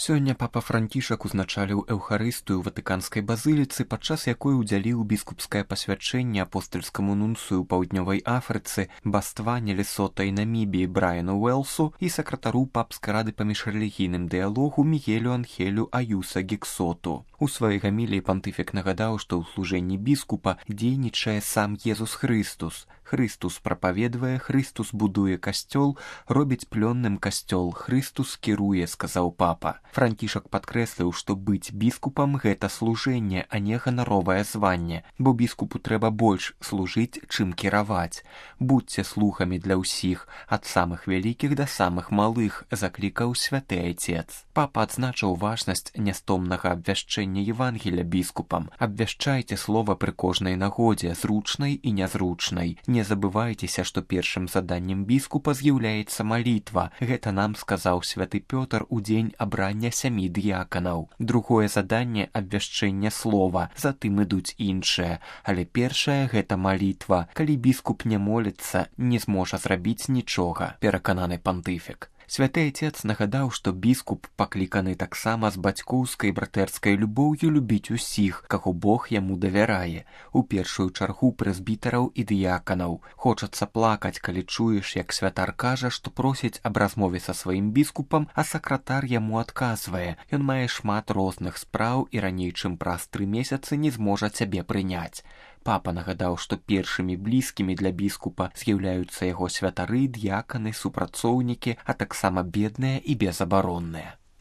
Сёння папа Францішак узначаліў эўхарыстыю ў ватыканскай базыліцы, падчас якой удзяліў біскупскае пасвячэнне апостальскаму нунцыю ў паўднёвай Афрыцы, Бастване, Лесота і Намібіі Брайану Уэлсу і сакратару папскай рады па міжрэлігійным дыялогу Мігелю Анхелю Аюса Гіксоту. У сваёй гаміліі пантыфік нагадаў, што ў служэнні біскупа дзейнічае сам Езус Хрыстус. Хрыстус прапаведвае, Хрыстус будуе касцёл, робіць плённым касцёл, Хрыстус кіруе, сказаў папа. Францішак падкрэсліў, што быць біскупам – гэта служэнне, а не ганаровае званне, бо біскупу трэба больш служыць, чым кіраваць. Будзьце слухамі для ўсіх, ад самых вялікіх да самых малых, заклікаў святы айцец. Папа адзначыў важнасць нястомнага абвяшчэння Евангеля біскупам. Абвяшчайце слова пры кожнай нагодзе, зручнай і нязручнай. Не забывайцеся, што першым заданнем біскупа з'яўляецца малітва. Гэта нам сказаў святы Пётр у дзень абрання 7 дыяканаў. Другое заданне – абвяшчэнне слова, затым ідуць іншыя. Але першае – гэта малітва. Калі біскуп не моліцца, не зможа зрабіць нічога, перакананы пантыфік. Святы айцец нагадаў, што біскуп пакліканы таксама з бацькоўскай братэрскай любоўю любіць усіх, каго Бог яму давярае, у першую чаргу прэзбітараў і дыяканаў. Хочацца плакаць, калі чуеш, як святар кажа, што просіць аб размове са сваім біскупам, а сакратар яму адказвае. Ён мае шмат розных спраў і раней, чым праз 3 месяцы не зможа цябе прыняць. Папа нагадаў, што першымі блізкімі для біскупа з'яўляюцца яго святары, д'яканы, супрацоўнікі, а таксама бедныя і безабаронныя.